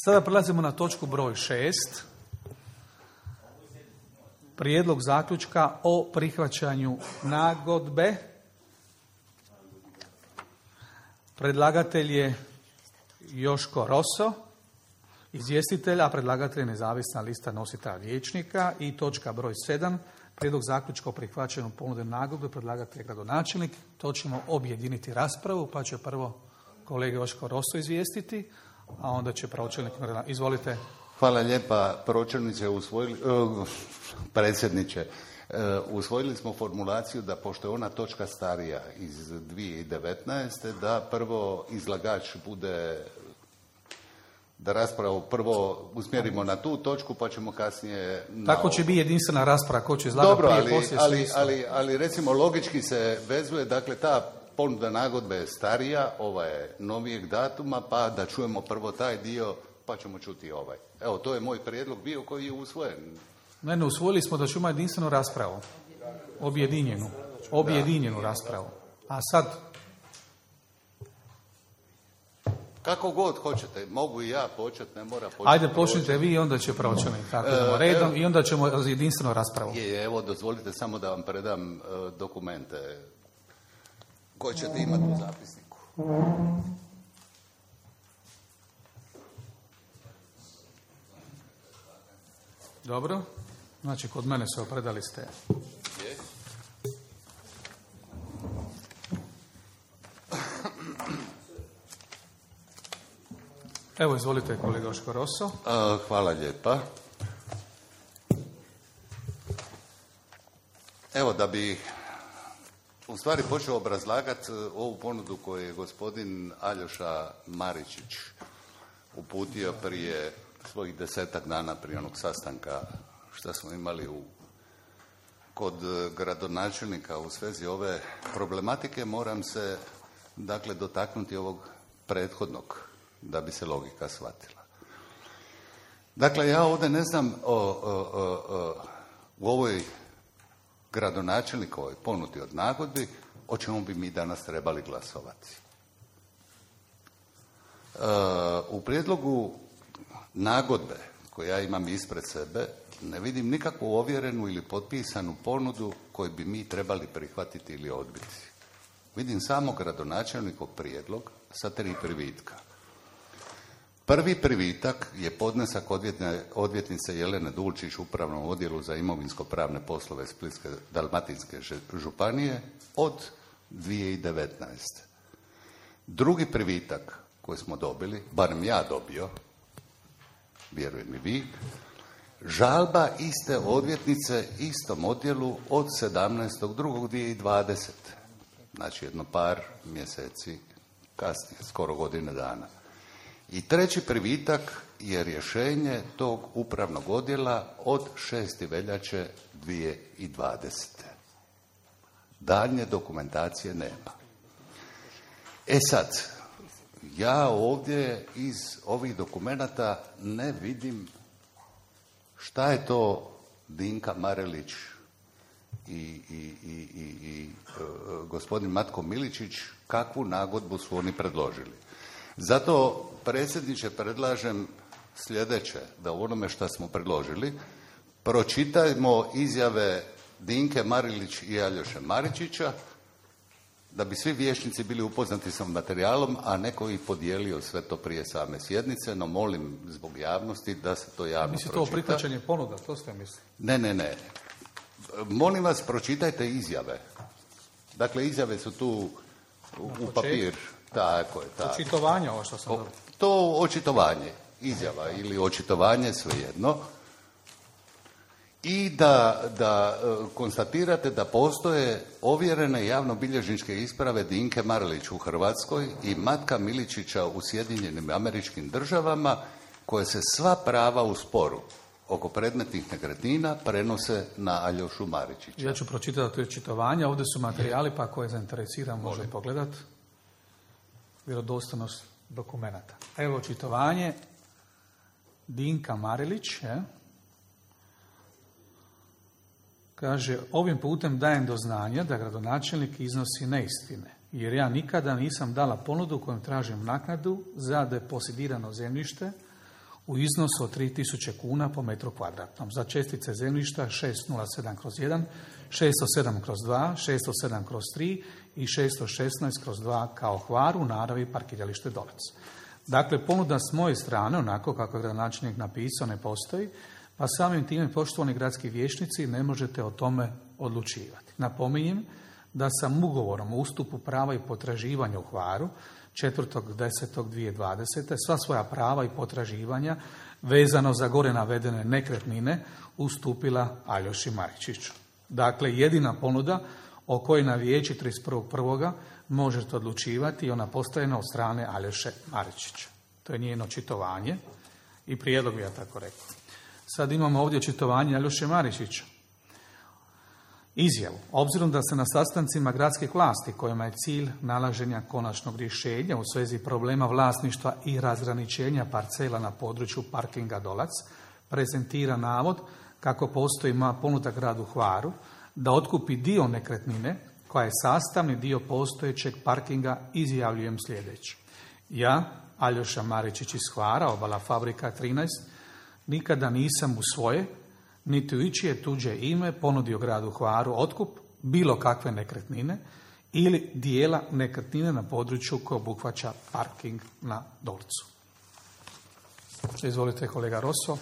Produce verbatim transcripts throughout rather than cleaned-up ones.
Sada prelazimo na točku broj šest. Prijedlog zaključka o prihvaćanju nagodbe. Predlagatelj je Joško Roso, izvjestitelj, a predlagatelj je nezavisna lista nositelja vijećnika. I točka broj sedam. Prijedlog zaključka o prihvaćanju ponude nagodbe, predlagatelj je gradonačelnik. To ćemo objediniti raspravu, pa će prvo kolega Joško Roso izvijestiti, a onda će pročelnik. Izvolite. Hvala lijepa, pročelniče, usvojili, uh, predsjedniče. Uh, usvojili smo formulaciju da pošto je ona točka starija iz dvije tisuće devetnaeste, da prvo izlagač bude, da raspravu prvo usmjerimo na tu točku, pa ćemo kasnije... Na Tako će biti jedinstvena rasprava, ko će izlagati prije, ali, poslije. Ali, ali, ali recimo logički se vezuje, dakle ta ponuda nagodbe je starija, ova je novijeg datuma, pa da čujemo prvo taj dio, pa ćemo čuti ovaj. Evo, to je moj prijedlog bio koji je usvojen. Ne, ne, usvojili smo da ćemo jedinstvenu raspravu. Objedinjenu. Objedinjenu da. raspravu. A sad... Kako god hoćete, mogu i ja početi, ne mora početi. Ajde, počnite vi i onda će pročelnik. Tako idemo redom evo, i onda ćemo jedinstvenu raspravu. Je, evo, dozvolite samo da vam predam uh, dokumente koje ćete imati u zapisniku. Dobro. Znači, kod mene se opredali ste. Je. Evo, izvolite, kolega Joško Roso. Uh, hvala lijepa. Evo, da bi u stvari počeo obrazlagati ovu ponudu koju je gospodin Aljoša Maričić uputio prije svojih desetak dana prije onog sastanka što smo imali u, kod gradonačelnika u svezi ove problematike, moram se dakle dotaknuti ovog prethodnog da bi se logika shvatila. Dakle, ja ovdje ne znam o, o, o, o, u ovoj gradonačelnikovoj ponudi od nagodbi o čemu bi mi danas trebali glasovati. E, u prijedlogu nagodbe koju ja imam ispred sebe ne vidim nikakvu ovjerenu ili potpisanu ponudu koju bi mi trebali prihvatiti ili odbiti. Vidim samo gradonačelnikov prijedlog sa tri privitka. Prvi privitak je podnesak odvjetne, odvjetnice Jelene Dulčić u Upravnom odjelu za imovinsko-pravne poslove Splitske Dalmatinske županije od dvije tisuće devetnaeste. Drugi privitak koji smo dobili, barem ja dobio, vjerujem i vi, žalba iste odvjetnice istom odjelu od sedamnaestog drugog dvije tisuće dvadesete. Znači jedno par mjeseci kasnije, skoro godine dana. I treći privitak je rješenje tog upravnog odjela od šestog veljače dvije tisuće dvadesete. Daljnje dokumentacije nema. E sad, ja ovdje iz ovih dokumenata ne vidim šta je to Dinka Marelić i, i, i, i, i uh, gospodin Matko Miličić, kakvu nagodbu su oni predložili. Zato, predsjedniče, predlažem sljedeće, da u onome što smo predložili pročitajmo izjave Dinke Marelić i Aljoše Maričića, da bi svi vijećnici bili upoznati sa materijalom, a neko ih podijelio sve to prije same sjednice, no molim zbog javnosti da se to javno Mislim, pročita. Mislim, to prihvaćanje ponuda, to ste mislili? Ne, ne, ne. Molim vas, pročitajte izjave. Dakle, izjave su tu u, u papir. Tako je, tako. Očitovanje, ovo što sam o, To očitovanje, izjava ili očitovanje, svejedno. I da, da konstatirate da postoje ovjerene javnobilježničke isprave Dinke Marelić u Hrvatskoj i Matka Miličića u Sjedinjenim Američkim Državama, koje se sva prava u sporu oko predmetnih nekretnina prenose na Aljošu Maričića. Ja ću pročitati to očitovanje, ovdje su materijali, pa ako je zainteresiran može Molim. pogledati. Vjerodostojnost dokumenata. Evo očitovanje Dinka Marelić, je. Kaže, ovim putem dajem do znanja da gradonačelnik iznosi neistine, jer ja nikada nisam dala ponudu kojom tražim naknadu za deposidirano zemljište u iznosu od tri tisuće kuna po metru kvadratnom za čestice zemljišta šest nula sedam kroz jedan, šesto sedam kroz dva, šesto sedam kroz tri i šesto šesnaest kroz dva kao Hvar u naravi parkiralište Dolac. Dakle, ponuda s moje strane, onako kako je gradonačelnik napisao, ne postoji, pa samim time, poštovani gradski vijećnici, ne možete o tome odlučivati. Napominjem da sam ugovorom o ustupu prava i potraživanja u Hvaru četvrtog desetog dvije tisuće dvadesete sva svoja prava i potraživanja vezano za gore navedene nekretnine ustupila Aljoši Maričiću. Dakle, jedina ponuda o kojoj na vijeći trideset prvog prvog možete odlučivati i ona postavljena od strane Aljoše Maričića. To je njeno očitovanje i prijedlog, ja tako rekao. Sad imamo ovdje očitovanje Aljoše Maričića. Izjavu. Obzirom da se na sastancima gradskih vlasti kojima je cilj nalaženja konačnog rješenja u svezi problema vlasništva i razgraničenja parcela na području parkinga Dolac prezentira navod kako postoji ponuda gradu Hvaru da otkupi dio nekretnine koja je sastavni dio postojećeg parkinga, izjavljujem sljedeće. Ja, Aljoša Maričić iz Hvara, Obala Fabrika trinaest, nikada nisam u svoje niti u ičije tuđe ime ponudio gradu Hvaru otkup bilo kakve nekretnine ili dijela nekretnine na području koje obuhvaća parking na Dolcu. Izvolite, kolega Rosso.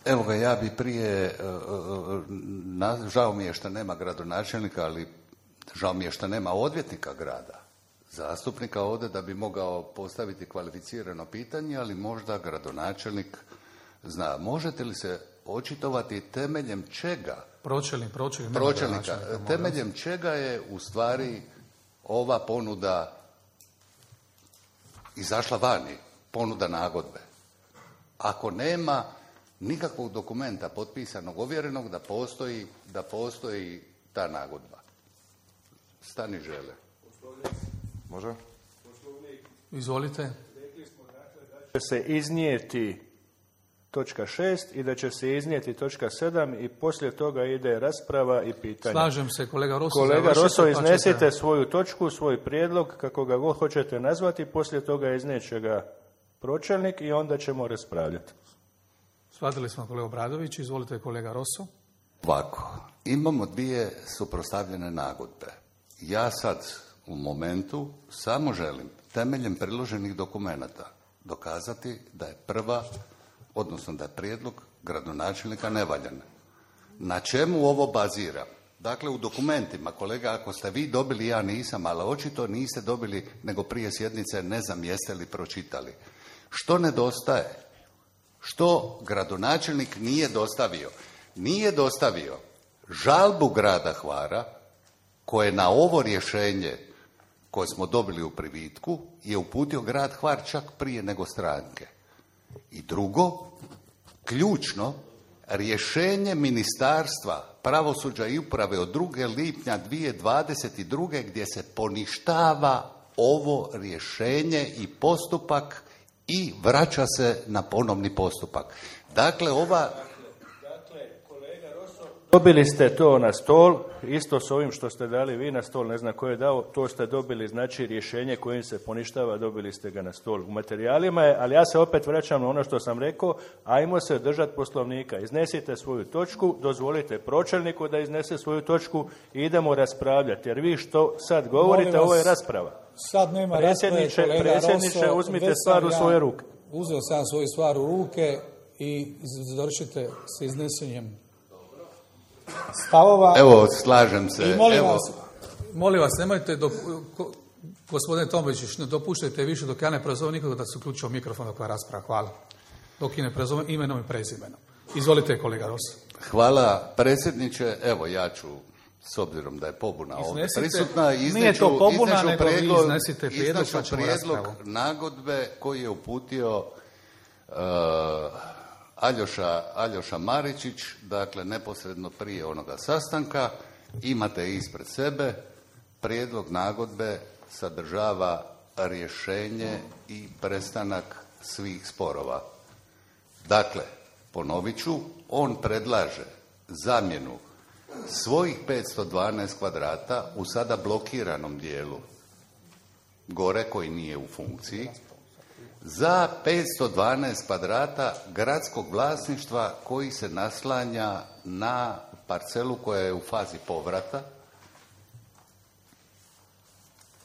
Evo ga, ja bi prije, na, žao mi je što nema gradonačelnika, ali žao mi je što nema odvjetnika grada, zastupnika ovdje da bi mogao postaviti kvalificirano pitanje, ali možda gradonačelnik zna. Možete li se očitovati temeljem čega? Pročelnik, pročelnik. Pročelnika. Temeljem čega je u stvari ova ponuda izašla vani, ponuda nagodbe? Ako nema nikakvog dokumenta potpisanog, ovjerenog da postoji, da postoji ta nagodba. Stani žele. Može? Izvolite. Da će se iznijeti točka šest i da će se iznijeti točka sedam i poslije toga ide rasprava i pitanje. Slažem se, kolega Rosso. Kolega Rosso, iznesite pa svoju točku, svoj prijedlog, kako ga god hoćete nazvati, poslije toga izneće ga pročelnik i onda ćemo raspravljati. Shvatili smo, kolega Obradović. Izvolite, kolega Rosso. Ovako, imamo dvije suprotstavljene nagodbe. Ja sad u momentu samo želim temeljem priloženih dokumenata dokazati da je prva, odnosno da je prijedlog gradonačelnika nevaljan. Na čemu ovo bazira? Dakle, u dokumentima, kolega, ako ste vi dobili, ja nisam, ali očito niste dobili nego prije sjednice, ne znam jeste li pročitali. Što nedostaje? Što gradonačelnik nije dostavio? Nije dostavio žalbu grada Hvara koje na ovo rješenje koje smo dobili u privitku je uputio grad Hvar čak prije nego stranke. I drugo, ključno, rješenje Ministarstva pravosuđa i uprave od drugog lipnja dvije tisuće dvadeset druge gdje se poništava ovo rješenje i postupak i vraća se na ponovni postupak. Dakle, ova... Dobili ste to na stol, isto s ovim što ste dali vi na stol, ne znam ko je dao, to ste dobili, znači rješenje kojim se poništava, dobili ste ga na stol. U materijalima je, ali ja se opet vraćam na ono što sam rekao, ajmo se držati Poslovnika. Iznesite svoju točku, dozvolite pročelniku da iznese svoju točku i idemo raspravljati. Jer vi što sad govorite, ovo je rasprava. Sad nema predsjedniče, rasprave, predsjedniče, Rosso, uzmite stvar u svoje ruke. Uzeo sam svoju stvar u ruke i završite s iznesenjem stavova. Evo, slažem se. I molim Evo. vas, Molim vas, nemojte, do, ko, gospodine Tombečić, ne dopuštajte više dok ja ne prozovem nikoga da se uključio mikrofon dok je rasprava. Hvala. Dok i ne prozovem imenom i prezimenom. Izvolite, kolega Rosso. Hvala, predsjedniče. Evo, ja ću, s obzirom da je pobuna ovdje prisutna, nije to pobuna, nego prijedlog, vi iznesite prijedlog, pa ćemo prijedlog raspravu. nagodbe koji je uputio uh, Aljoša, Aljoša Maričić, dakle neposredno prije onoga sastanka. Imate ispred sebe, prijedlog nagodbe sadržava rješenje i prestanak svih sporova. Dakle, ponovit ću, on predlaže zamjenu svojih petsto dvanaest kvadrata u sada blokiranom dijelu gore koji nije u funkciji za petsto dvanaest kvadrata gradskog vlasništva koji se naslanja na parcelu koja je u fazi povrata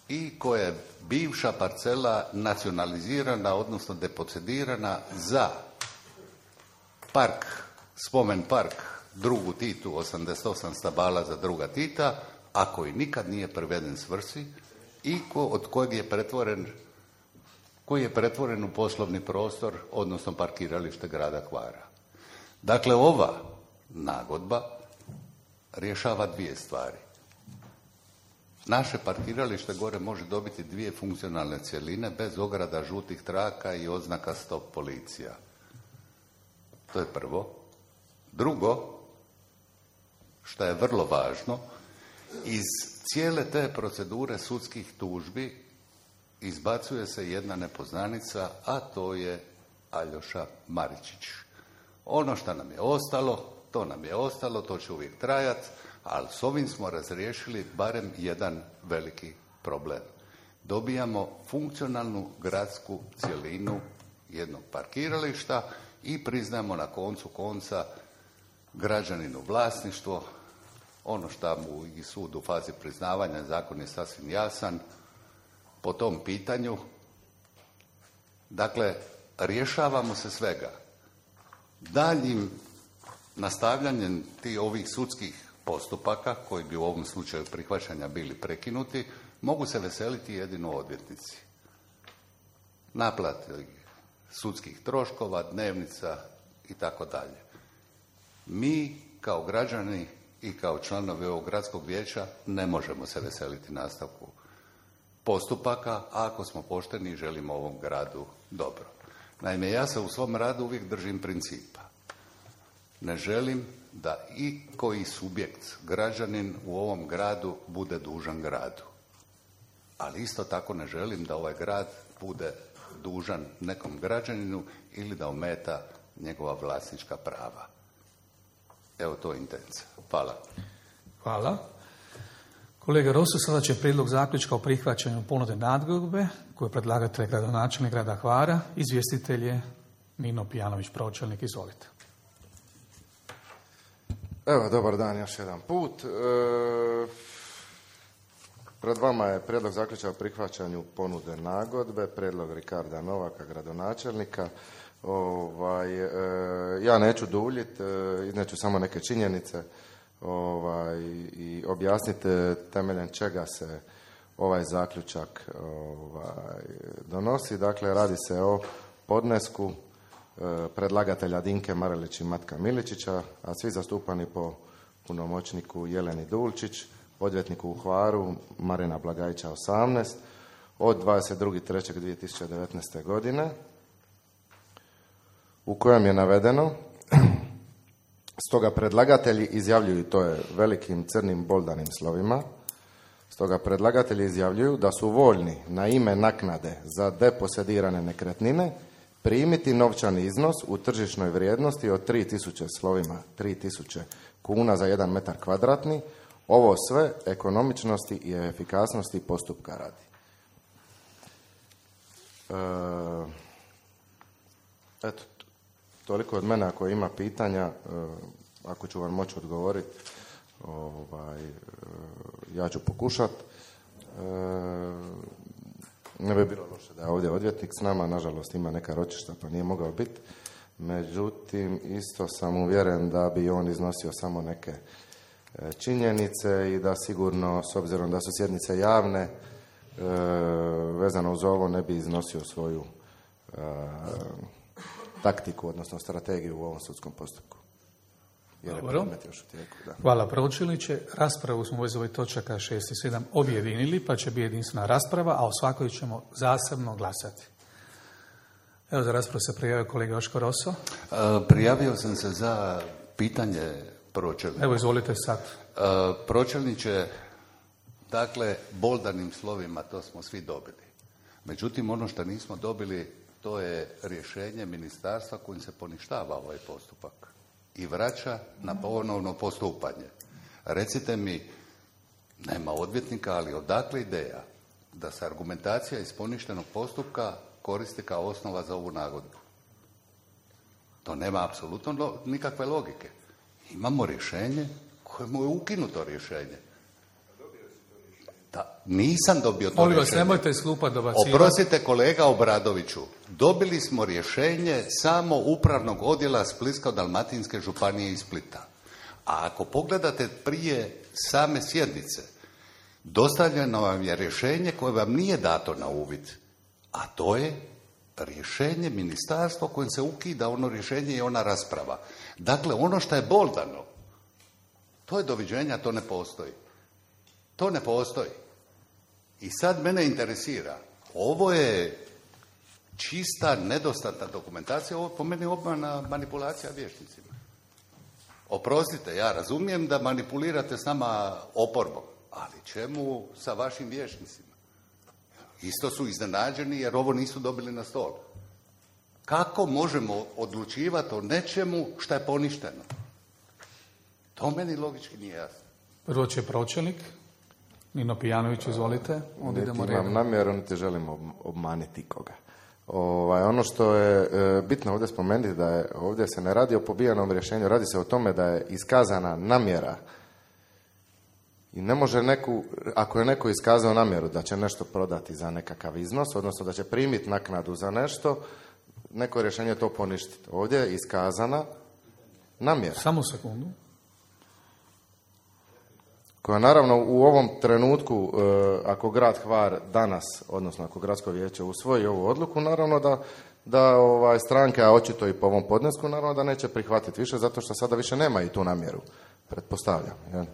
i koja je bivša parcela nacionalizirana, odnosno depocedirana za park, spomen park drugu Titu, osamdeset osam stabala za druga Tita, a koji nikad nije priveden svrsi i ko, od kojeg je pretvoren, koji je pretvoren u poslovni prostor, odnosno parkiralište grada Hvara. Dakle, ova nagodba rješava dvije stvari. Naše parkiralište gore može dobiti dvije funkcionalne cjeline bez ograda, žutih traka i oznaka stop policija. To je prvo. Drugo, što je vrlo važno, iz cijele te procedure sudskih tužbi izbacuje se jedna nepoznanica, a to je Aljoša Maričić. Ono što nam je ostalo, to nam je ostalo, to će uvijek trajati, ali s ovim smo razriješili barem jedan veliki problem. Dobijamo funkcionalnu gradsku cjelinu jednog parkirališta i priznamo na koncu konca građaninu vlasništvo. Ono što mu i sud u fazi priznavanja, zakon je sasvim jasan po tom pitanju. Dakle, rješavamo se svega. Daljim nastavljanjem tih ovih sudskih postupaka, koji bi u ovom slučaju prihvaćanja bili prekinuti, mogu se veseliti jedino odvjetnici. Naplati sudskih troškova, dnevnica i tako dalje. Mi kao građani i kao članovi ovog gradskog vijeća ne možemo se veseliti nastavku postupaka, ako smo pošteni i želimo ovom gradu dobro. Naime, ja se u svom radu uvijek držim principa. Ne želim da i koji subjekt, građanin u ovom gradu bude dužan gradu. Ali isto tako ne želim da ovaj grad bude dužan nekom građaninu ili da ometa njegova vlasnička prava. Evo, to je intencija. Hvala. Hvala. Kolega Rosso, sada će prijedlog zaključka o prihvaćanju ponude nagodbe koju je predlagatelj gradonačelnik grada Hvara. Izvjestitelj je Nino Pijanović, pročelnik. Izvolite. Evo, dobar dan još jedan put. E, pred vama je prijedlog zaključka o prihvaćanju ponude nagodbe, prijedlog Rikarda Novaka, gradonačelnika. Ovaj, e, ja neću duljiti, e, izneću samo neke činjenice ovaj, i objasniti temeljem čega se ovaj zaključak ovaj, donosi. Dakle, radi se o podnesku e, predlagatelja Dinke Marelić i Matka Miličića, a svi zastupani po punomoćniku Jeleni Dulčić, odvjetniku u Hvaru Marina Blagajića osamnaest, od dvadeset drugi treći dvije tisuće devetnaeste. godine, u kojem je navedeno: stoga predlagatelji izjavljuju, to je velikim crnim boldanim slovima, stoga predlagatelji izjavljuju da su voljni na ime naknade za deposedirane nekretnine primiti novčani iznos u tržišnoj vrijednosti od tri tisuće slovima tri tisuće kuna za jedan metar kvadratni. Ovo sve ekonomičnosti i efikasnosti postupka radi. E, eto, toliko od mene. Ako ima pitanja, ako ću vam moći odgovoriti, ovaj, ja ću pokušati. Ne bi bilo loše da je ovdje odvjetnik s nama, nažalost ima neka ročišta pa nije mogao biti. Međutim, isto sam uvjeren da bi on iznosio samo neke činjenice i da sigurno, s obzirom da su sjednice javne, vezano uz ovo ne bi iznosio svoju taktiku, odnosno strategiju u ovom sudskom postupku. Jer je predmet još u tijeku, da. Hvala, pročelniče. Raspravu smo u vezi ovih točaka šest i sedam objedinili, pa će biti jedinstvena rasprava, a o svakoj ćemo zasebno glasati. Evo, za raspravu se prijavio kolega Joško Rosso. Uh, prijavio sam se za pitanje pročelnika. Evo, izvolite sad. Uh, pročelniče, dakle, boldanim slovima to smo svi dobili. Međutim, ono što nismo dobili, to je rješenje ministarstva kojim se poništava ovaj postupak i vraća na ponovno postupanje. Recite mi, nema odvjetnika, ali odakle ideja da se argumentacija iz poništenog postupka koristi kao osnova za ovu nagodbu. To nema apsolutno lo, nikakve logike. Imamo rješenje kojemu je ukinuto rješenje. Da, nisam dobio to Molim vas, rješenje. nemojte iz klupa dobacivati. Oprostite kolega Obradoviću, dobili smo rješenje samo upravnog odjela Splitsko-dalmatinske županije iz Splita. A ako pogledate prije same sjednice, dostavljeno vam je rješenje koje vam nije dato na uvid, a to je rješenje ministarstva kojim se ukida ono rješenje i ona rasprava. Dakle, ono što je boldano, to je doviđenja, to ne postoji. To ne postoji. I sad mene interesira, ovo je čista, nedostatna dokumentacija, ovo po meni obmana, manipulacija vještnicima. Oprostite, ja razumijem da manipulirate s nama oporbom, ali čemu sa vašim vještnicima? Isto su iznenađeni jer ovo nisu dobili na stol. Kako možemo odlučivati o nečemu što je poništeno? To meni logički nije jasno. Prvo će pročelnik. Nino Pijanović, izvolite. Onda Niti idemo imam redom. namjeru, niti želim ob- obmaniti koga. Ovaj, ono što je e, bitno ovdje spomenuti da je ovdje se ne radi o pobijanom rješenju, radi se o tome da je iskazana namjera i ne može neku, ako je neko iskazao namjeru da će nešto prodati za nekakav iznos, odnosno da će primiti naknadu za nešto, neko rješenje to poništiti. Ovdje je iskazana namjera. Samo sekundu. Koja naravno u ovom trenutku, e, ako grad Hvar danas, odnosno ako gradsko vijeće usvoji ovu odluku, naravno da, da ovaj, stranke, a očito i po ovom podnesku, naravno da neće prihvatiti više, zato što sada više nema i tu namjeru, pretpostavljam. Jel?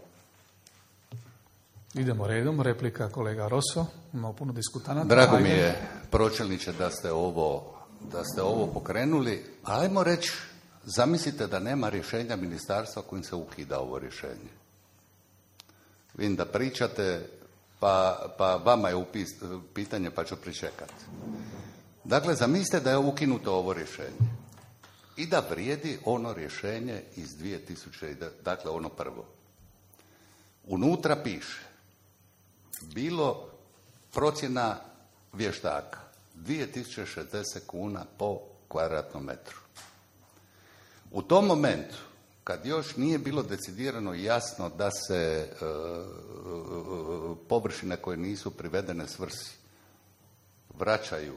Idemo redom. Replika kolega Rosso. Imamo puno diskutanata. Drago Ajde. mi je, pročelniče, da ste ovo, da ste ovo pokrenuli. Ajmo reći, zamislite da nema rješenja ministarstva kojim se ukida ovo rješenje. Vidim da pričate, pa, pa vama je upis, pitanje, pa ću pričekati. Dakle, zamislite da je ukinuto ovo rješenje i da vrijedi ono rješenje iz dvije tisuće, dakle ono prvo. Unutra piše, bilo procjena vještaka, dvije tisuće šezdeset kuna po kvadratnom metru. U tom momentu, kad još nije bilo decidirano i jasno da se e, površine koje nisu privedene svrsi vraćaju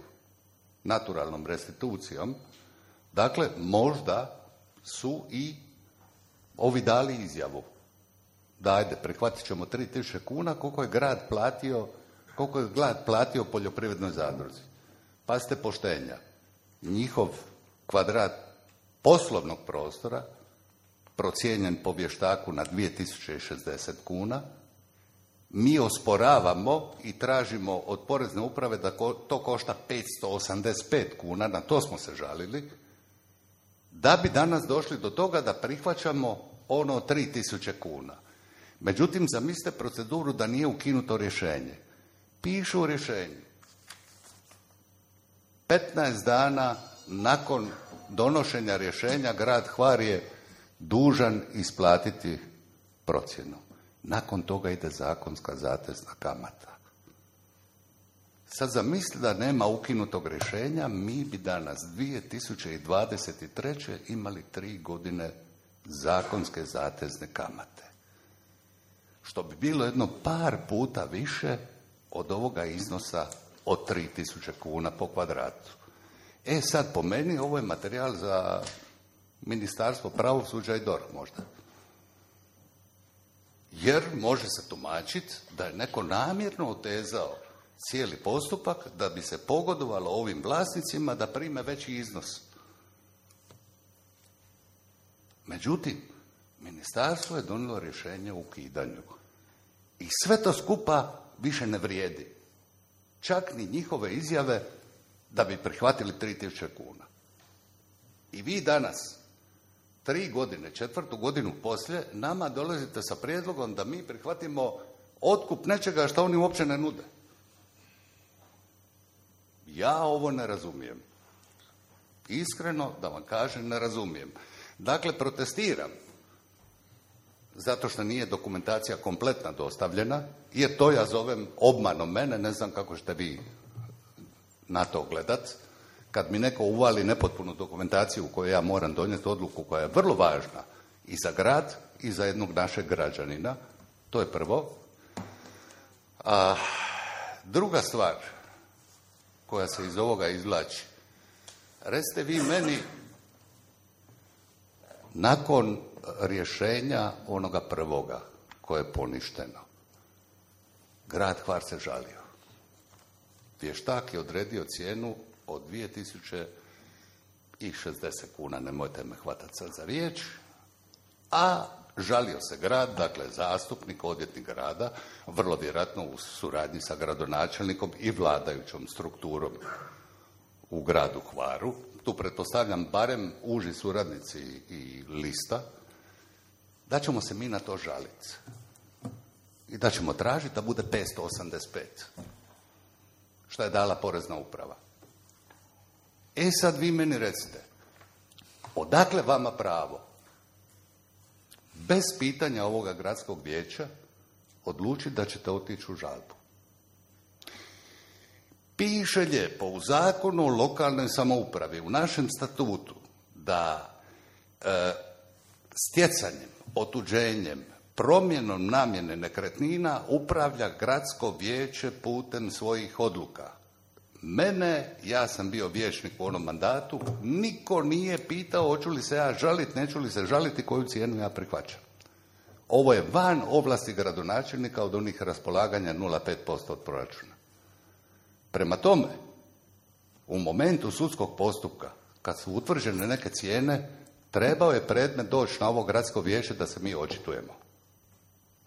naturalnom restitucijom, dakle, možda su i ovi dali izjavu da ajde, prihvatit ćemo tri tisuće kuna koliko je grad platio, koliko je grad platio poljoprivrednoj zadruzi. Pazite poštenja. Njihov kvadrat poslovnog prostora procijenjen po vještaku na dvije tisuće šezdeset kuna, mi osporavamo i tražimo od porezne uprave da to košta petsto osamdeset pet kuna, na to smo se žalili, da bi danas došli do toga da prihvaćamo ono tri tisuće kuna. Međutim, zamislite proceduru da nije ukinuto rješenje. Pišu u rješenju. petnaest dana nakon donošenja rješenja grad Hvar je dužan isplatiti procjenu. Nakon toga ide zakonska zatezna kamata. Sad zamisli da nema ukinutog rješenja, mi bi danas dvije tisuće dvadeset treće imali tri godine zakonske zatezne kamate. Što bi bilo jedno par puta više od ovoga iznosa od tri tisuće kuna po kvadratu. E sad, po meni, ovo je materijal za Ministarstvo pravosuđa i D O R H možda. Jer može se tumačiti da je neko namjerno otezao cijeli postupak da bi se pogodovalo ovim vlasnicima da prime veći iznos. Međutim, ministarstvo je donijelo rješenje o ukidanju. I sve to skupa više ne vrijedi. Čak ni njihove izjave da bi prihvatili tri tisuće kuna. I vi danas, tri godine, četvrtu godinu poslije, nama dolazite sa prijedlogom da mi prihvatimo otkup nečega što oni uopće ne nude. Ja ovo ne razumijem. Iskreno, da vam kažem, ne razumijem. Dakle, protestiram zato što nije dokumentacija kompletna dostavljena, jer to ja zovem obmanom mene, ne znam kako ćete vi na to gledat. kad mi neko uvali nepotpunu dokumentaciju u kojoj ja moram donijeti odluku koja je vrlo važna i za grad i za jednog našeg građanina. To je prvo. A druga stvar koja se iz ovoga izvlači. Recite vi meni, nakon rješenja onoga prvoga koje je poništeno, grad Hvar se žalio. Vještak je odredio cijenu od dvije tisuće šezdeset kuna, nemojte me hvatati sad za riječ, a žalio se grad, dakle zastupnik, odvjetnik grada, vrlo vjerojatno u suradnji sa gradonačelnikom i vladajućom strukturom u gradu Hvaru. Tu pretpostavljam barem uži suradnici i lista, da ćemo se mi na to žaliti. I da ćemo tražiti da bude petsto osamdeset pet. Šta je dala porezna uprava. E sad vi meni recite, odakle vama pravo, bez pitanja ovoga gradskog vijeća, odlučiti da ćete otići u žalbu? Piše lijepo u Zakonu o lokalnoj samoupravi, u našem statutu, da e, stjecanjem, otuđenjem, promjenom namjene nekretnina upravlja gradsko vijeće putem svojih odluka. Mene, ja sam bio vijećnik u onom mandatu, niko nije pitao hoću li se ja žaliti, neću li se žaliti, koju cijenu ja prihvaćam. Ovo je van ovlasti gradonačelnika od onih raspolaganja nula zarez pet posto od proračuna. Prema tome, u momentu sudskog postupka, kad su utvrđene neke cijene, trebao je predmet doći na ovo gradsko vijeće da se mi očitujemo.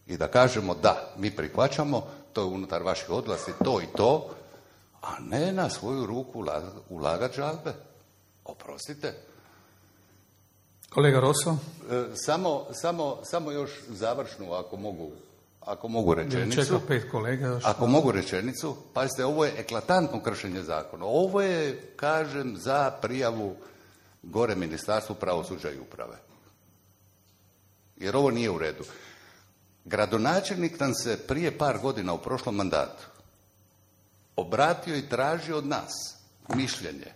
I da kažemo da, mi prihvaćamo, to je unutar vaših odlasti, to i to, a ne na svoju ruku ulagati žalbe. Oprostite. Kolega Rosso? E, samo, samo, samo još završnu, ako mogu, ako mogu rečenicu. Čeka pet kolega još. Ako mogu rečenicu, pazite, ovo je eklatantno kršenje zakona. Ovo je, kažem, za prijavu gore Ministarstvu pravosuđa i uprave. Jer ovo nije u redu. Gradonačelnik nam se prije par godina u prošlom mandatu obratio i tražio od nas mišljenje.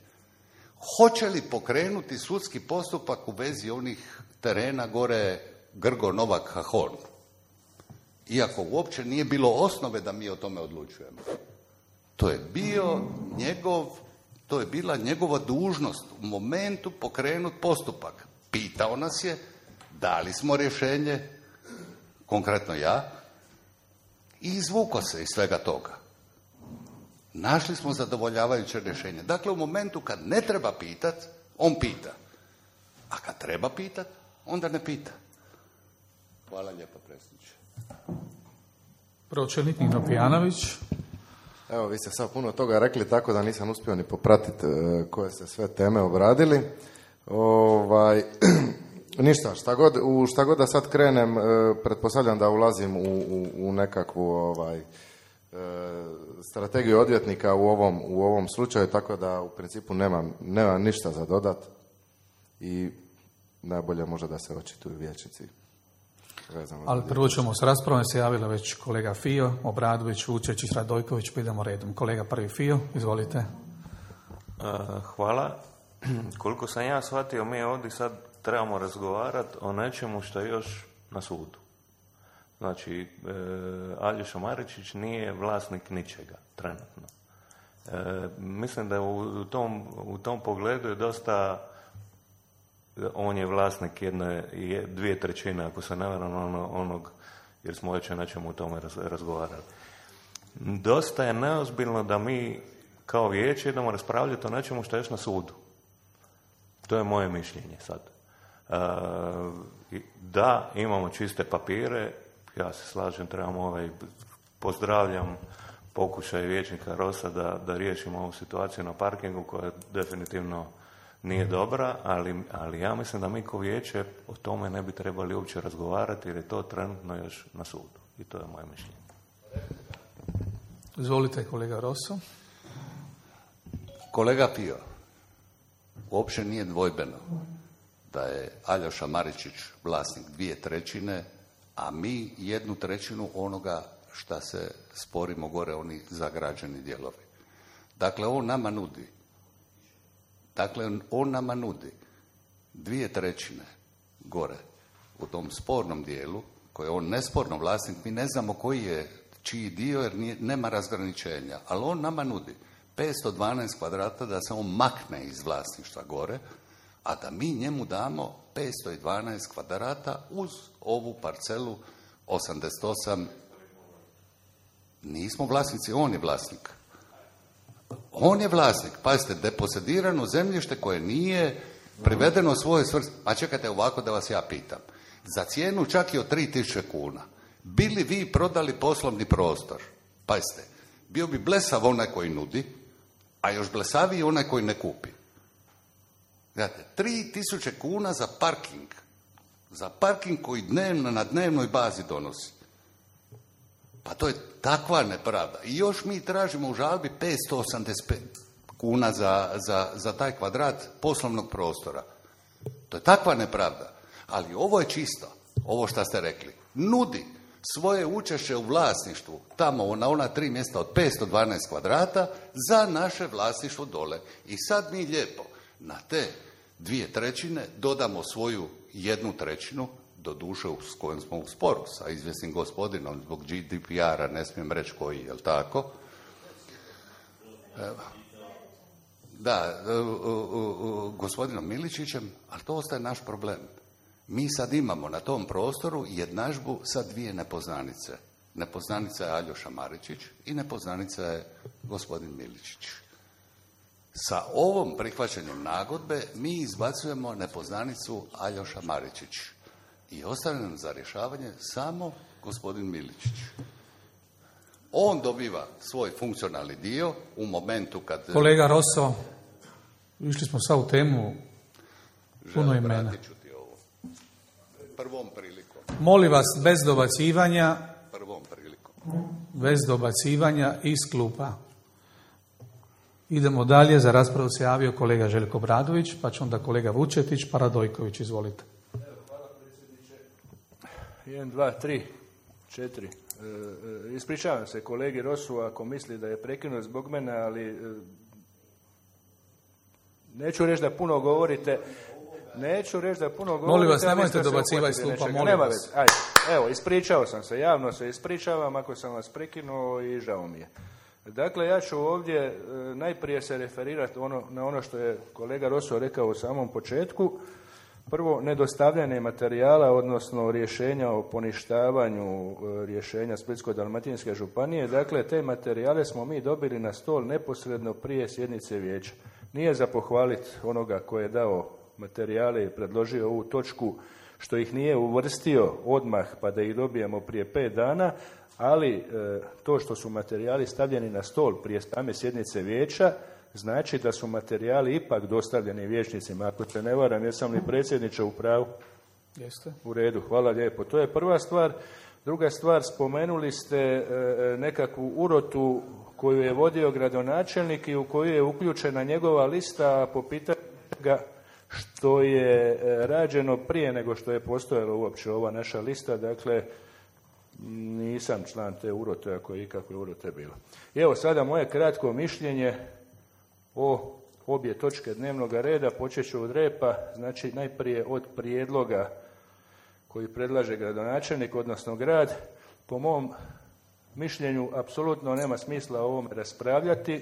Hoće li pokrenuti sudski postupak u vezi onih terena gore Grgo, Novak, Hahon? Iako uopće nije bilo osnove da mi o tome odlučujemo. To je bio njegov, to je bila njegova dužnost u momentu pokrenut postupak. Pitao nas je, dali smo rješenje, konkretno ja, i izvuko se iz svega toga. Našli smo zadovoljavajuće rješenje. Dakle, u momentu kad ne treba pitat, on pita. A kad treba pitat, onda ne pita. Hvala lijepo, predsjedniče. Pročelnik Nino Pijanović. Evo, vi ste sad puno toga rekli, tako da nisam uspio ni popratiti koje ste sve teme obradili. Ovaj, ništa, šta god, u šta god da sad krenem, pretpostavljam da ulazim u, u, u nekakvu ovaj, strategiju odvjetnika u ovom, u ovom slučaju, tako da u principu nemam, nemam ništa za dodat i najbolje možda da se očituju vijećnici. Ali prvo ćemo s raspravom, se javila već kolega Fio, Obradović, Vučečić, Radojković, pa idemo redom. Kolega prvi Fio, izvolite. Uh, hvala. Koliko sam ja shvatio, mi ovdje sad trebamo razgovarati o nečemu što je još na sudu. Znači, e, Aljoša Maričić nije vlasnik ničega, trenutno. E, mislim da u, u, tom, u tom pogledu je dosta, on je vlasnik jedne, dvije trećine, ako se ne varam, ono, onog, jer smo već o nečemu u tome raz, razgovarali. Dosta je neozbiljno da mi kao vijeće idemo raspravljati o nečemu što je još na sudu. To je moje mišljenje sad. E, da, imamo čiste papire, ja se slažem, trebamo ovaj, pozdravljam pokušaj vijećnika Rosa da, da riješimo ovu situaciju na parkingu koja definitivno nije dobra, ali, ali ja mislim da mi kao vijeće o tome ne bi trebali uopće razgovarati jer je to trenutno još na sudu. I to je moje mišljenje. Izvolite, kolega Rosso. Kolega Pio, uopće nije dvojbeno da je Aljoša Maričić vlasnik dvije trećine, a mi jednu trećinu onoga šta se sporimo gore, oni zagrađeni dijelovi. Dakle, on nama nudi Dakle, on nama nudi dvije trećine gore u tom spornom dijelu, koji je on nesporno vlasnik, mi ne znamo koji je čiji dio jer nije, nema razgraničenja, ali on nama nudi petsto dvanaest kvadrata da se on makne iz vlasništva gore, a da mi njemu damo petsto dvanaest kvadrata uz ovu parcelu osamdeset osam. Nismo vlasnici, on je vlasnik. On je vlasnik. Pazite, deposedirano zemljište koje nije privedeno svoje svrsi. A čekajte ovako da vas ja pitam. Za cijenu čak i od tri tisuće kuna. Bili vi prodali poslovni prostor? Pazite, bio bi blesav onaj koji nudi, a još blesaviji onaj koji ne kupi. Gledajte, tri tisuće kuna za parking. Za parking koji dnevno, na dnevnoj bazi donosi. Pa to je takva nepravda. I još mi tražimo u žalbi petsto osamdeset pet kuna za, za, za taj kvadrat poslovnog prostora. To je takva nepravda. Ali ovo je čisto, ovo što ste rekli. Nudi svoje učešće u vlasništvu, tamo na ona tri mjesta od petsto dvanaest kvadrata, za naše vlasništvo dole. I sad mi lijepo na te dvije trećine dodamo svoju jednu trećinu, do duše s kojom smo u sporu sa izvjesnim gospodinom zbog G D P R-a, ne smijem reći koji, jel tako? Da, gospodinom Miličićem, ali to ostaje naš problem. Mi sad imamo na tom prostoru jednadžbu sa dvije nepoznanice. Nepoznanica je Aljoša Maričić i nepoznanica je gospodin Miličić. Sa ovom prihvaćanjem nagodbe mi izbacujemo nepoznanicu Aljoša Maričić. I ostane nam za rješavanje samo gospodin Miličić. On dobiva svoj funkcionalni dio u momentu kad... Kolega Rosso, išli smo sad u temu puno imena. Ti ovo. Prvom prilikom. Molim vas, bez dobacivanja, Prvom prilikom. bez dobacivanja iz klupa. Idemo dalje, za raspravu se javio kolega Željko Bradović, pa će onda kolega Vučetić, pa Radojković, izvolite. Jedan, dva, tri, četiri. E, e, ispričavam se kolegi Rosu ako misli da je prekinut zbog mene, ali e, neću reći da puno govorite. Neću reći da puno govorite. Molim vas, nemojte dobacivati iz klupa, molim vas. Ajde, evo, ispričao sam se, javno se ispričavam ako sam vas prekinuo i žao mi je. Dakle, ja ću ovdje e, najprije se referirati ono, na ono što je kolega Rosso rekao u samom početku. Prvo, nedostavljanje materijala, odnosno rješenja o poništavanju rješenja Splitsko-dalmatinske županije. Dakle, te materijale smo mi dobili na stol neposredno prije sjednice vijeća. Nije za pohvaliti onoga koji je dao materijale i predložio ovu točku, što ih nije uvrstio odmah pa da ih dobijemo prije pet dana, ali e, to što su materijali stavljeni na stol prije same sjednice vijeća, znači da su materijali ipak dostavljeni vijećnicima. Ako se ne varam, jesam li predsjedniče u pravu? Jeste. U redu, hvala lijepo. To je prva stvar. Druga stvar, spomenuli ste e, nekakvu urotu koju je vodio gradonačelnik i u koju je uključena njegova lista po pitanju ga što je e, rađeno prije nego što je postojala uopće ova naša lista. Dakle, nisam član te urote, ako je ikakve urote bilo. I evo sada moje kratko mišljenje o obje točke dnevnog reda. Počet ću od repa, znači najprije od prijedloga koji predlaže gradonačelnik, odnosno grad. Po mom mišljenju apsolutno nema smisla o ovome raspravljati.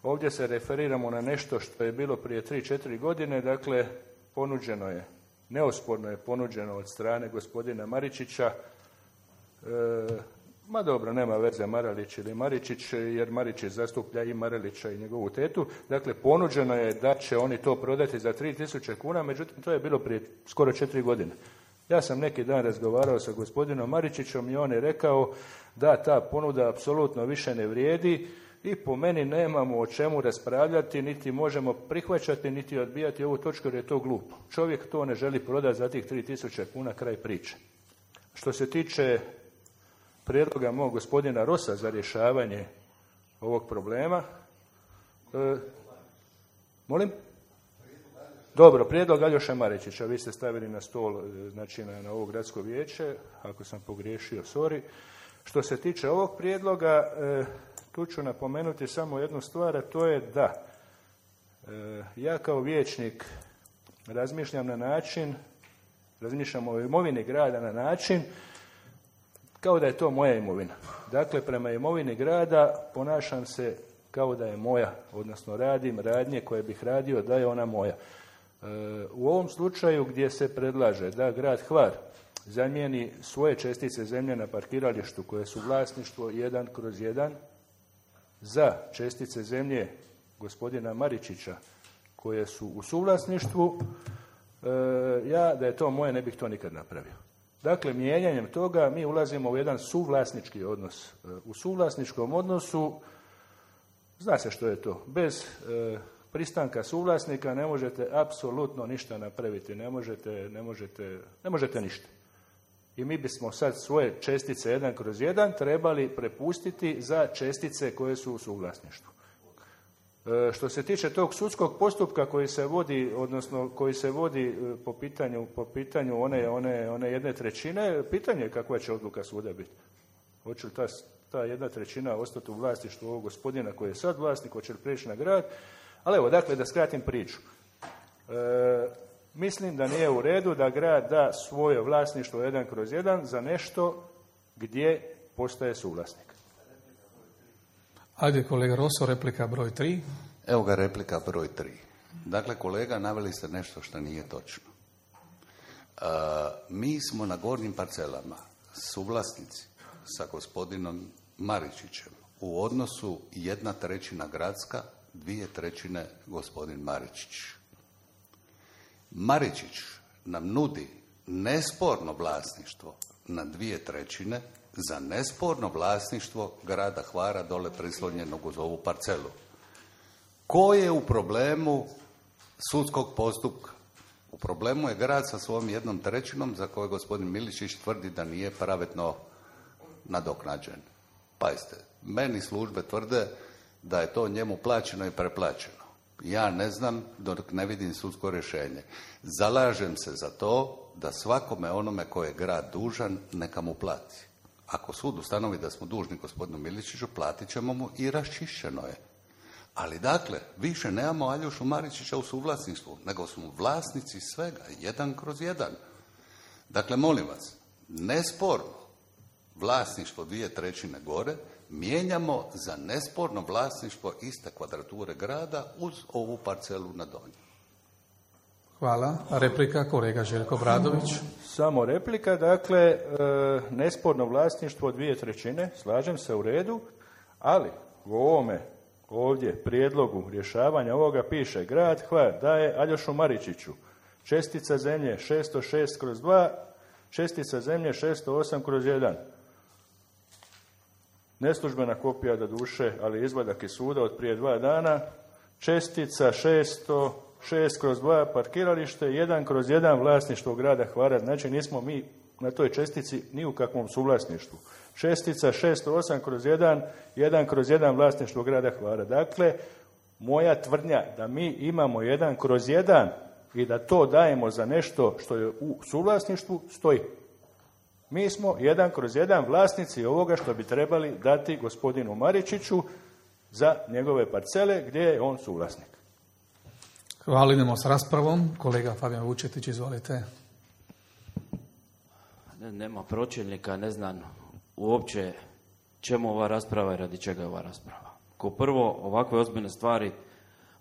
Ovdje se referiramo na nešto što je bilo prije tri četiri godine, dakle ponuđeno je, neosporno je ponuđeno od strane gospodina Maričića, e, ma dobro, nema veze Maralić ili Maričić, jer Maričić zastuplja i Maralića i njegovu tetu. Dakle, ponuđeno je da će oni to prodati za tri tisuće kuna, međutim, to je bilo prije skoro četiri godine. Ja sam neki dan razgovarao sa gospodinom Maričićom i on je rekao da ta ponuda apsolutno više ne vrijedi i po meni nemamo o čemu raspravljati, niti možemo prihvaćati, niti odbijati ovu točku jer je to glupo. Čovjek to ne želi prodati za tih tri tisuće kuna, kraj priče. Što se tiče prijedloga mog gospodina Rosa za rješavanje ovog problema. E, molim? Dobro, prijedlog Aljoša Maričića, vi ste stavili na stol, znači na, na ovo gradsko vijeće, ako sam pogriješio, sorry. Što se tiče ovog prijedloga, e, tu ću napomenuti samo jednu stvar, a to je da Ja kao vijećnik razmišljam na način, razmišljam o imovini grada na način kao da je to moja imovina. Dakle, prema imovini grada ponašam se kao da je moja, odnosno radim radnje koje bih radio da je ona moja. U ovom slučaju gdje se predlaže da grad Hvar zamijeni svoje čestice zemlje na parkiralištu koje su vlasništvo jedan kroz jedan za čestice zemlje gospodina Maričića koje su u suvlasništvu, ja da je to moje ne bih to nikad napravio. Dakle, mijenjanjem toga mi ulazimo u jedan suvlasnički odnos. U suvlasničkom odnosu zna se što je to. Bez e, pristanka suvlasnika ne možete apsolutno ništa napraviti, ne možete, ne možete, ne možete ništa. I mi bismo sad svoje čestice jedan kroz jedan trebali prepustiti za čestice koje su u suvlasništvu. E, što se tiče tog sudskog postupka koji se vodi, odnosno koji se vodi po pitanju, po pitanju one, one, one jedne trećine, pitanje je kakva će odluka suda biti. Hoće li ta, ta jedna trećina ostati u vlasništvu ovog gospodina koji je sad vlasnik, hoće li prijeći na grad. Ali evo, dakle, da skratim priču. E, mislim da nije u redu da grad da svoje vlasništvo jedan kroz jedan za nešto gdje postaje suvlasnik. Ajde, kolega Rosso, replika broj tri. Evo ga replika broj tri. Dakle, kolega, naveli ste nešto što nije točno. E, mi smo na gornjim parcelama suvlasnici sa gospodinom Maričićem u odnosu jedna trećina gradska, dvije trećine gospodin Maričić. Maričić nam nudi nesporno vlasništvo na dvije trećine za nesporno vlasništvo grada Hvara dole prislonjenog uz ovu parcelu. Ko je u problemu sudskog postupka? U problemu je grad sa svojom jednom trećinom za koju gospodin Miličić tvrdi da nije pravedno nadoknađen. Pazite, meni službe tvrde da je to njemu plaćeno i preplaćeno. Ja ne znam dok ne vidim sudsko rješenje. Zalažem se za to da svakome onome koje je grad dužan neka mu plati. Ako sud ustanovi da smo dužni gospodinu Miličiću, platit ćemo mu i raščišćeno je. Ali dakle, više nemamo Aljošu Maričića u suvlasništvu, nego smo vlasnici svega, jedan kroz jedan. Dakle, molim vas, nesporno vlasništvo dvije trećine gore mijenjamo za nesporno vlasništvo iste kvadrature grada uz ovu parcelu na donju. Hvala. Replika, kolega Željko Bradović. Samo replika, dakle, e, nesporno vlasništvo dvije trećine, slažem se u redu, ali u ovome ovdje prijedlogu rješavanja ovoga piše grad Hvar daje Aljošu Maričiću čestica zemlje šesto šest kroz dva, čestica zemlje šesto osam kroz jedan. Neslužbena kopija do duše, ali izvadak iz suda od prije dva dana, čestica šesto šest kroz dva parkiralište, jedan kroz jedan vlasništvo grada Hvara. Znači nismo mi na toj čestici ni u kakvom suvlasništvu. Čestica šesto osam kroz jedan, jedan kroz jedan vlasništvo grada Hvara. Dakle, moja tvrdnja da mi imamo jedan kroz jedan i da to dajemo za nešto što je u suvlasništvu stoji. Mi smo jedan kroz jedan vlasnici ovoga što bi trebali dati gospodinu Maričiću za njegove parcele gdje je on suvlasnik. Hvala, idemo s raspravom. Kolega Fabijan Vučetić, izvolite. Nema pročelnika, ne znam uopće čemu ova rasprava i radi čega je ova rasprava. Kao prvo, ovakve ozbiljne stvari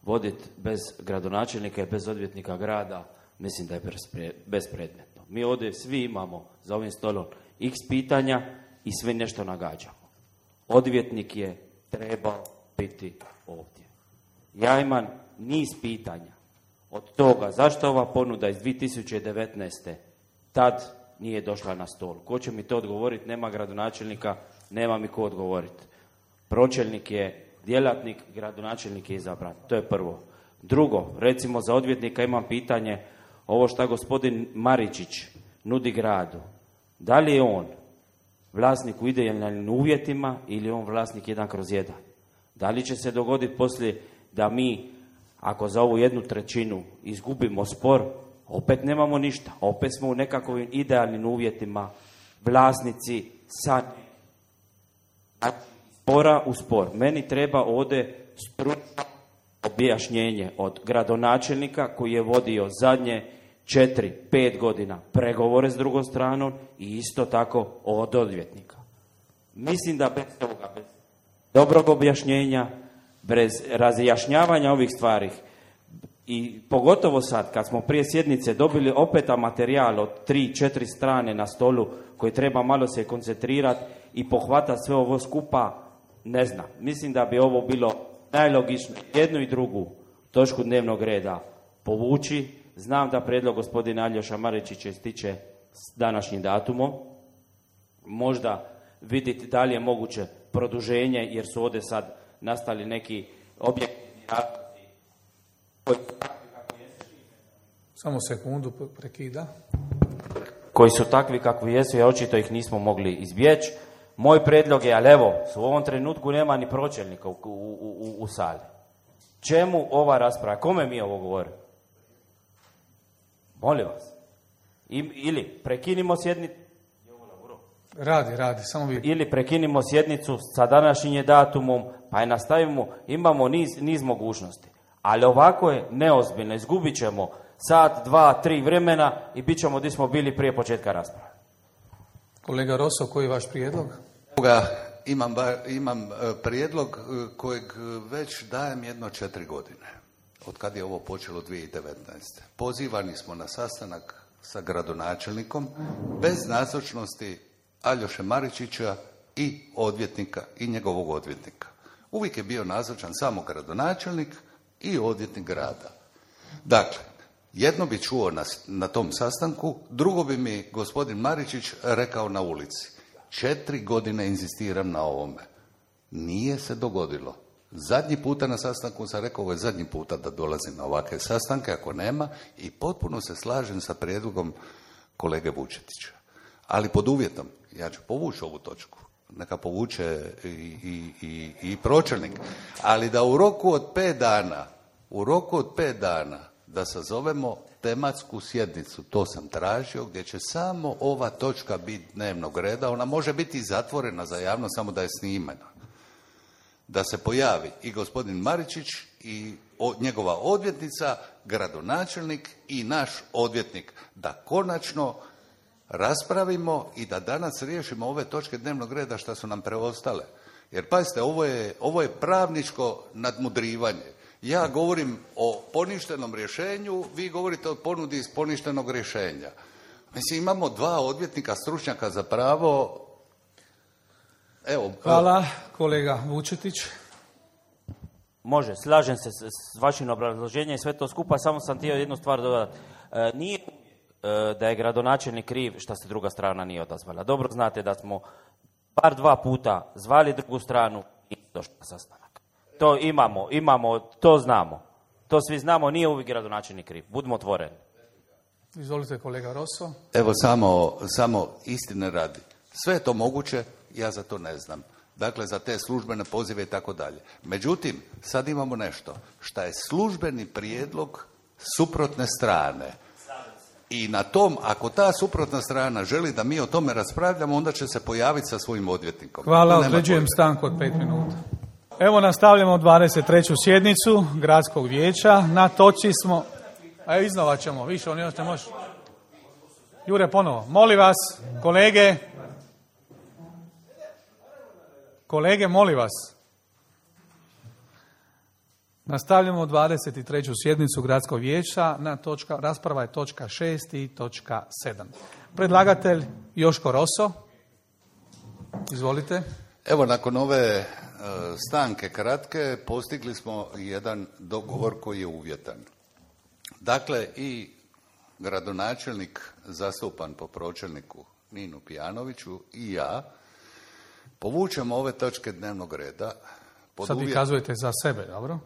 voditi bez gradonačelnika i bez odvjetnika grada, mislim da je bespredmetno. Mi ovdje svi imamo za ovim stolom x pitanja i sve nešto nagađamo. Odvjetnik je trebao biti ovdje. Ja imam niz pitanja od toga zašto ova ponuda iz dvije tisuće devetnaeste tad nije došla na stol. Ko će mi to odgovoriti? Nema gradonačelnika, nema mi ko odgovoriti. Pročelnik je djelatnik, gradonačelnik je izabran. To je prvo. Drugo, recimo za odvjetnika imam pitanje, ovo što gospodin Maričić nudi gradu. Da li je on vlasnik u idealnim uvjetima ili je on vlasnik jedan kroz jedan? Da li će se dogoditi poslije da mi, ako za ovu jednu trećinu izgubimo spor, opet nemamo ništa. Opet smo u nekakvim idealnim uvjetima vlasnici sad spora u spor. Meni treba ovdje stručno objašnjenje od gradonačelnika koji je vodio zadnje četiri, pet godina pregovore s drugom stranom i isto tako od odvjetnika. Mislim da bez toga, bez dobrog objašnjenja, bez razjašnjavanja ovih stvari i pogotovo sad kad smo prije sjednice dobili opet materijal od tri, četiri strane na stolu koji treba malo se koncentrirati i pohvatati sve ovo skupa, ne znam. Mislim da bi ovo bilo najlogičnije jednu i drugu točku dnevnog reda povući. Znam da prijedlog gospodina Aljoša Maričića ističe s današnjim datumom. Možda vidjeti da li je moguće produženje, jer su ovdje sad nastali neki objektivni razlozi koji su takvi kako jesu. Samo sekundu prekida. Koji su takvi kakvi jesu, a očito ih nismo mogli izbjeći. Moj prijedlog je, ali evo, u ovom trenutku nema ni pročelnika u, u, u, u sali. Čemu ova rasprava? Kome mi ovo govorimo? Molim vas. I, ili prekinimo sjednicu. Radi, radi, samo vi. Ili prekinimo sjednicu sa današnjim datumom, pa je nastavimo, imamo niz, niz mogućnosti. Ali ovako je neozbiljno, izgubit ćemo sat, dva, tri vremena i bit ćemo gdje smo bili prije početka rasprave. Kolega Roso, koji je vaš prijedlog? Imam, ba, imam prijedlog kojeg već dajem jedno četiri godine. Od kad je ovo počelo dvije tisuće devetnaeste. Pozivani smo na sastanak sa gradonačelnikom bez nazočnosti Aljoše Maričića i odvjetnika i njegovog odvjetnika. Uvijek je bio nazočan samo gradonačelnik i odvjetnik grada. Dakle, jedno bi čuo na, na tom sastanku, drugo bi mi gospodin Maričić rekao na ulici. Četiri godine inzistiram na ovome. Nije se dogodilo. Zadnji puta na sastanku sam rekao, ovo je zadnji puta da dolazim na ovakve sastanke, ako nema, i potpuno se slažem sa prijedlogom kolege Vučetića. Ali pod uvjetom, ja ću povući ovu točku, neka povuče i, i, i, i pročelnik, ali da u roku od pet dana, u roku od pet dana, da sazovemo tematsku sjednicu, to sam tražio, gdje će samo ova točka biti dnevnog reda, ona može biti zatvorena za javnost, samo da je snimana. Da se pojavi i gospodin Maričić i o, njegova odvjetnica, gradonačelnik i naš odvjetnik, da konačno raspravimo i da danas riješimo ove točke dnevnog reda što su nam preostale. Jer pazite, ovo je, ovo je pravničko nadmudrivanje. Ja govorim o poništenom rješenju, vi govorite o ponudi iz poništenog rješenja. Mislim, imamo dva odvjetnika, stručnjaka za pravo. Evo, hvala, kolega Vučetić. Može, slažem se s, s vašim obrazloženjem i sve to skupa, samo sam htio jednu stvar dodati. E, nije e, da je gradonačelnik kriv što se druga strana nije odazvala. Dobro znate da smo bar dva puta zvali drugu stranu i došli na sastanak. To imamo, imamo, to znamo. To svi znamo, nije uvijek gradonačelnik kriv. Budimo otvoreni. Izvolite, kolega Roso. Evo, samo, samo istine radi. Sve je to moguće, ja za to ne znam. Dakle, za te službene pozive i tako dalje. Međutim, sad imamo nešto što je službeni prijedlog suprotne strane. I na tom, ako ta suprotna strana želi da mi o tome raspravljamo, onda će se pojaviti sa svojim odvjetnikom. Hvala, određujem stanku od pet minuta. Evo, nastavljamo dvadeset treću sjednicu Gradskog vijeća. Na točci smo... A iznova ćemo, više, on još ne može. Jure, ponovo. Molim vas, kolege... Kolege, molim vas. Nastavljamo dvadeset treću sjednicu Gradskog vijeća. Na točka, rasprava je točka šest i točka sedam. Predlagatelj Joško Roso. Izvolite. Evo, nakon ove stanke kratke postigli smo jedan dogovor koji je uvjetan. Dakle, i gradonačelnik zastupan po pročelniku Ninu Pijanoviću i ja povučemo ove točke dnevnog reda. Pod Sad vi uvjet... kazujete za sebe, dobro?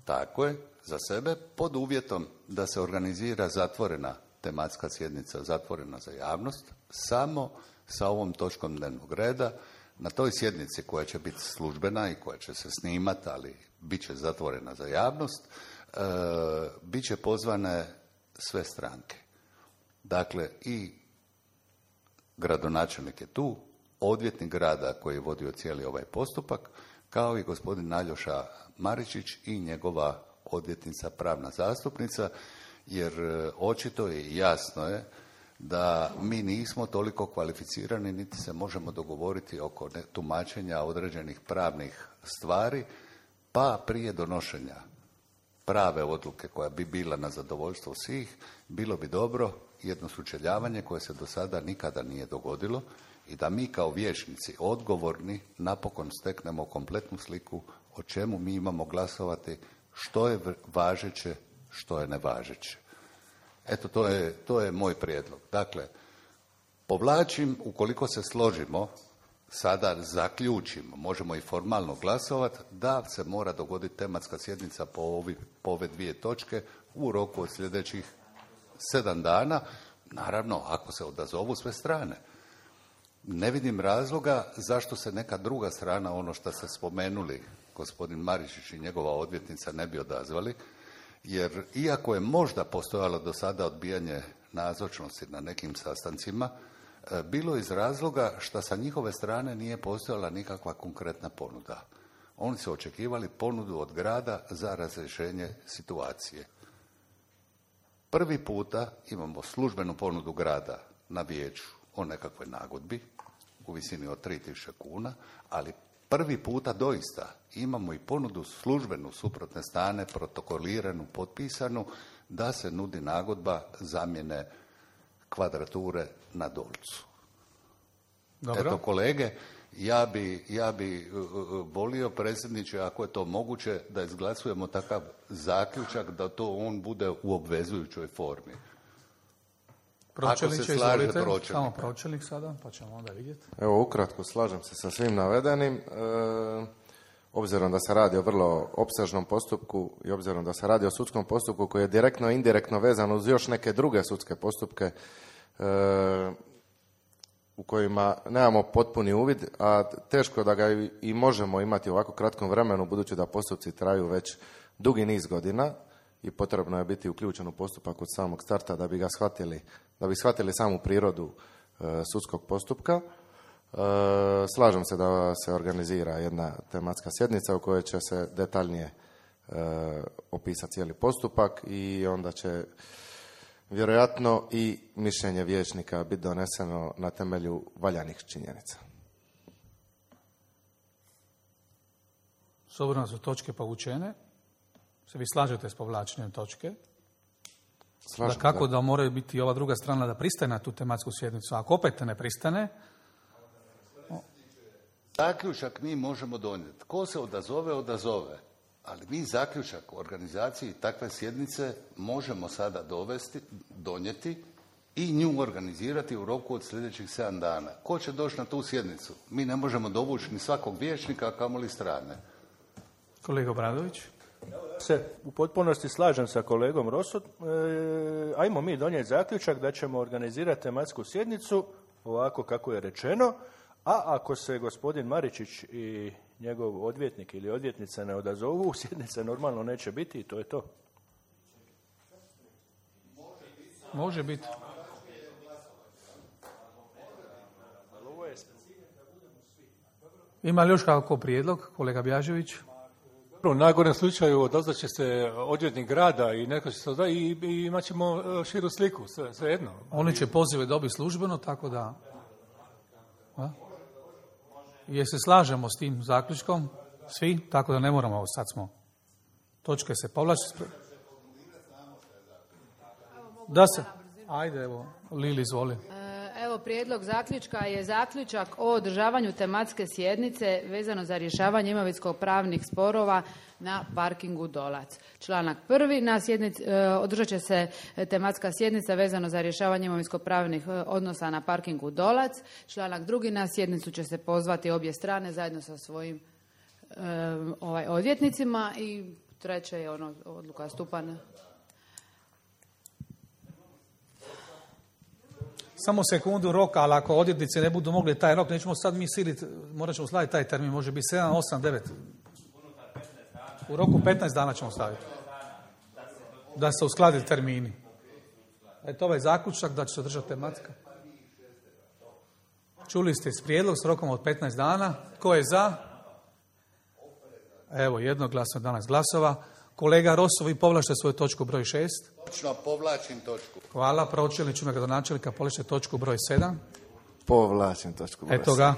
Tako je, za sebe, pod uvjetom da se organizira zatvorena tematska sjednica, zatvorena za javnost, samo sa ovom točkom dnevnog reda. Na toj sjednici koja će biti službena i koja će se snimati, ali bit će zatvorena za javnost, e, bit će pozvane sve stranke. Dakle, i gradonačelnik je tu, odvjetnik grada koji je vodio cijeli ovaj postupak, kao i gospodin Aljoša Maričić i njegova odvjetnica, pravna zastupnica, jer očito je i jasno je da mi nismo toliko kvalificirani niti se možemo dogovoriti oko tumačenja određenih pravnih stvari, pa prije donošenja prave odluke koja bi bila na zadovoljstvo svih, bilo bi dobro jedno sučeljavanje koje se do sada nikada nije dogodilo i da mi kao vijećnici odgovorni napokon steknemo kompletnu sliku o čemu mi imamo glasovati, što je važeće, što je nevažeće. Eto, to je, to je moj prijedlog. Dakle, povlačim, ukoliko se složimo, sada zaključimo, možemo i formalno glasovati, da se mora dogoditi tematska sjednica po, ovi, po ove dvije točke u roku od sljedećih sedam dana, naravno ako se odazovu sve strane. Ne vidim razloga zašto se neka druga strana, ono što ste spomenuli, gospodin Maričić i njegova odvjetnica, ne bi odazvali, jer iako je možda postojalo do sada odbijanje nazočnosti na nekim sastancima, bilo iz razloga što sa njihove strane nije postojala nikakva konkretna ponuda. Oni su očekivali ponudu od grada za razrješenje situacije. Prvi puta imamo službenu ponudu grada na vijeću o nekakvoj nagodbi u visini od tri tisuće kuna, ali prvi puta doista imamo i ponudu službenu suprotne strane, protokoliranu, potpisanu, da se nudi nagodba zamjene kvadrature na Dolcu. Dobro. Eto, kolege, ja bi, ja bi volio, predsjedniče, ako je to moguće, da izglasujemo takav zaključak da to on bude u obvezujućoj formi. Pročelniče, izvolite, pročelnik. Samo pročelnik sada, pa ćemo onda vidjeti. Evo, ukratko slažem se sa svim navedenim. E, obzirom da se radi o vrlo opsežnom postupku i obzirom da se radi o sudskom postupku koji je direktno i indirektno vezan uz još neke druge sudske postupke e, u kojima nemamo potpuni uvid, a teško da ga i možemo imati u ovako kratkom vremenu, budući da postupci traju već dugi niz godina i potrebno je biti uključen u postupak od samog starta da bi ga shvatili, da bi shvatili samu prirodu e, sudskog postupka. E, slažem se da se organizira jedna tematska sjednica u kojoj će se detaljnije e, opisati cijeli postupak i onda će vjerojatno i mišljenje vijećnika biti doneseno na temelju valjanih činjenica. S obzirom da su točke povučene, se vi slažete s povlačenjem točke? Slažem, da kako da. da moraju biti ova druga strana da pristane na tu tematsku sjednicu? Ako opet ne pristane... Zaključak mi možemo donijeti. Ko se odazove, odazove. Ali mi zaključak o organizaciji takve sjednice možemo sada dovesti, donijeti i nju organizirati u roku od sljedećih sedam dana. Ko će doći na tu sjednicu? Mi ne možemo dovući ni svakog vijećnika, a kamoli strane. Kolega Obradović? Se u potpunosti slažem sa kolegom Rosom. E, ajmo mi donijeti zaključak da ćemo organizirati tematsku sjednicu ovako kako je rečeno, a ako se gospodin Maričić i njegov odvjetnik ili odvjetnica ne odazovu, sjednice normalno neće biti i to je to. Može biti. Ima li još kako prijedlog, kolega Bjažević? U najgorem slučaju odazvat će se odvjetnik grada i neko će se odazvati i, i imat ćemo širu sliku, sve, sve jedno. Oni će pozive dobiti službeno, tako da... A? Jer se slažemo s tim zaključkom, svi, tako da ne moramo, sad smo, točke se povlači. Da se, ajde, evo, Lili, izvoli. Evo, prijedlog zaključka je zaključak o održavanju tematske sjednice vezano za rješavanje imovinsko-pravnih sporova na parkingu Dolac. Članak prvi, na sjednici, održat će se tematska sjednica vezano za rješavanje imovinsko-pravnih odnosa na parkingu Dolac. Članak drugi, na sjednicu će se pozvati obje strane zajedno sa svojim um, ovaj, odvjetnicima i treće je ono odluka stupana. Samo sekundu roka, ali ako odvjetnici ne budu mogli taj rok, nećemo sad mi siliti, morat ćemo slaviti taj termin, može biti sedam, osam, devet. U roku petnaest dana ćemo staviti. Da se uskladi termini. Eto ovaj zaključak da će se održati tematska. Čuli ste s prijedlog s rokom od petnaest dana. Ko je za? Evo, jednoglasno danas glasova. Kolega Rosso, vi povlačite svoju točku broj šest. Točno, povlačim točku. Hvala. Pročelniču gradonačelnika povlačite točku broj sedam. Povlačim točku broj Eto ga.